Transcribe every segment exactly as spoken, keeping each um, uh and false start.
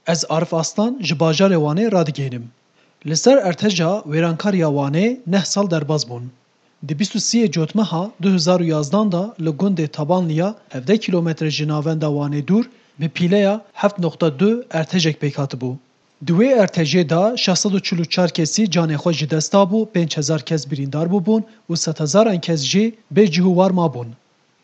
Ez Arif Aslan ji bajarê Wanê radigihînim. Li ser erteca wêrankar ya Wanê neh sal derbas bûn. Di bîst û sê Cotmeha du hezar û yazdan de li gundê Tabanliya hevdeh kîlometre ji navenda Wanê dûr bi pîleya heft noqta du ertejek pêk hatibû. Di wê ertejê de şeş sed û çil û çar kesî canê xwe ji dest dabû, pênc hezar kes birîndar bûbûn û sedhezaran kes jî bê cih û war mabûn.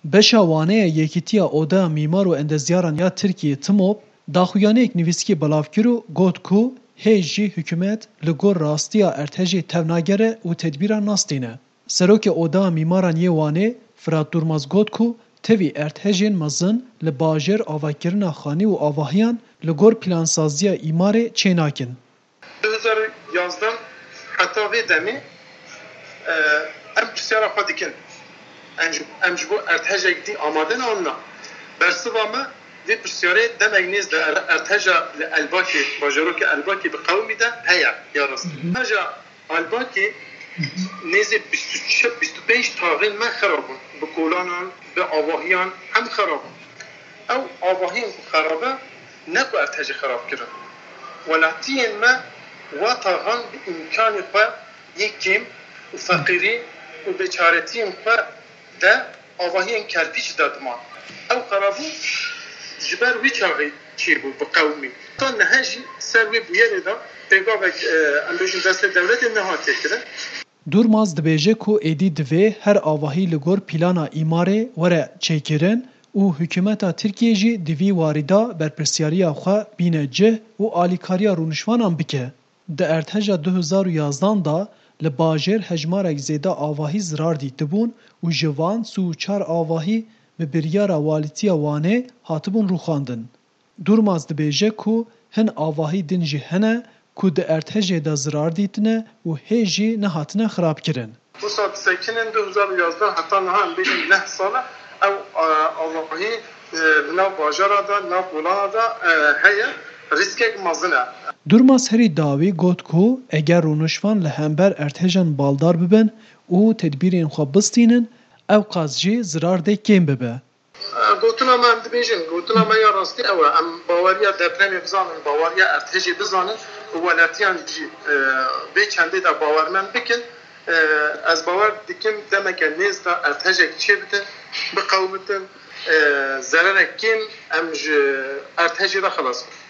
Beşa Wanê ya Yekîtiya Odeya Mîmar û Endezyaran ya Tirkiyê, TMOB, daxuyaniyek nivîskî belav kir û got ku hê jî hikûmet li gor rastiya ertejê tev nagere û tedbîran nastîne. Serokê Odeya Mîmaran yê Wanê, Firat Durmaz, got ku tevî ertejên mezin li bajêr avakirina xanî û avahiyan li gor plansaziya îmarê çênakin. Du hezar û yazdeh heta vê demê, e, em pirsyara xwe dikin. Em ji, em ji bo ertejek dî amade ne an na? Bersiva me vê pirsyarê demek nêz de er-, erteja li Elbakê, bajarokê Elbakê bi qewimî de heye ya rastî. Mhm. Erteja Elbakê nêzê bîst û çar, bîst û pênc taxên me xera bûn. Bi kolanan, bi avahiyan hem xera bûn. Ew avahiyên ku xerabe ne ku ertejê xerab kirin. Welatiyên me wa taxan bi îmkanê xwe yê kêm û feqîrî û bêçaretiyên xwe de avahiyên kerpîç de diman. Ew xerabûn ji ber wî çaxê çêbû bi qewimî. Ta niha jî ser wê bûyerê de pêgavek, e, em bêjin destê dewletê nehatiye kirin. Durmaz dibêje ku êdî divê her avahî li gor plana îmarê were çêkirin û hikûmeta Tirkiyê jî di vî warî de berpirsyariya xwe bîne cih û alîkariya rûniştvanan bike. Di erteja du hezar û yazdan de li bajêr hejmarek zêde avahî zirar dîtibûn û ji van sî û çar avahî bi biryara Walîtiya Wanê hatibûn rûxandin. Durmaz dibêje ku hin avahî din jî hene ku di ertejê de zirar dîtine û hê jî nehatine xirabkirin. Wisa disekinin du hezar û yazdeh heta niha em bêjin neh sal e. Ew, e, avahî, e, li nav bajara de, nav kolana de, e, heye. Rîskek mezin e. Durmaz herî dawî got ku eger rûniştvan li hember ertejan baldar bibin û tedbîrên xwe bistînin, ew qas jî zirar dê kêm bibe. Gotina me, em dibêjin, gotina me ya rastî ew e. Em baweriya depremê bizanin, baweriya ertejê bizanin û welatiyan jî, e, vê çendê de bawermend bikin. E, ez bawer dikim demeke nêz de ertejek çêbitin, biqewitin, e, zererek kêm em ji ertejê re xelas bin.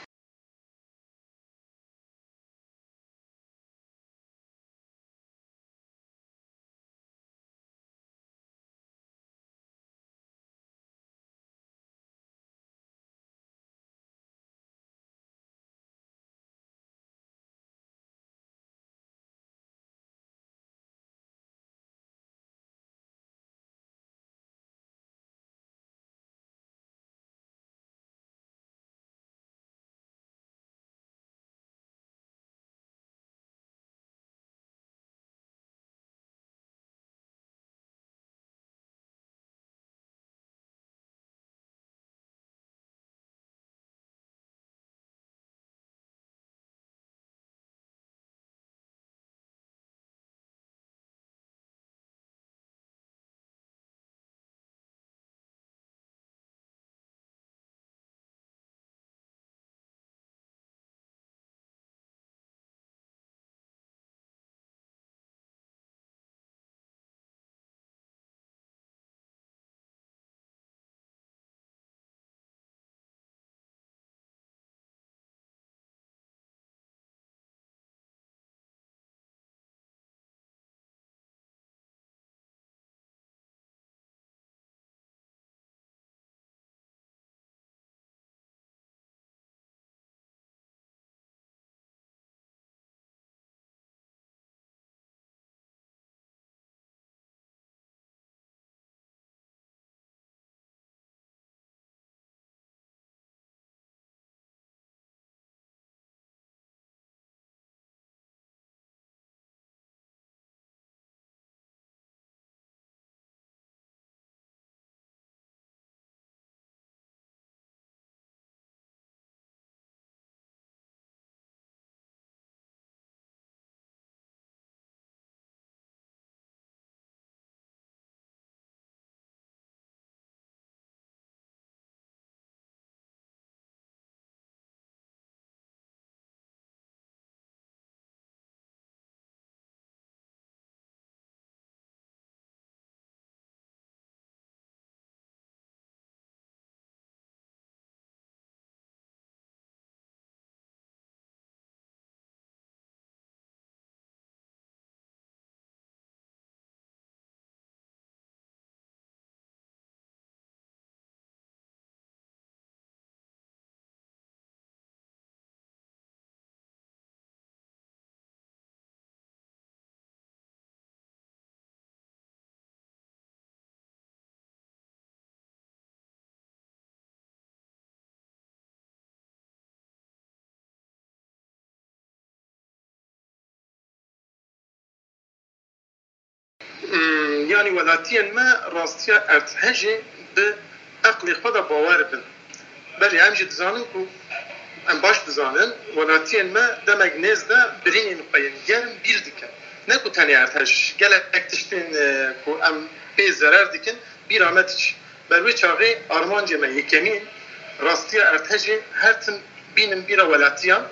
Yanî welatiyên me rastiya erdhejê bi eqlê xwe de bawer bin. Belê em jî dizanin ku em baş dizanin welatiyên me demek nêz de birînên xwe yên germ bîr dikin. Ne ku tenê erdhej, gelek tiştên e, ku em pê zerer dikin bîra me diçin. Ber wê çaxê armancê me yekemîn rastiya erdhejê her tim bînin bîra welatiyan.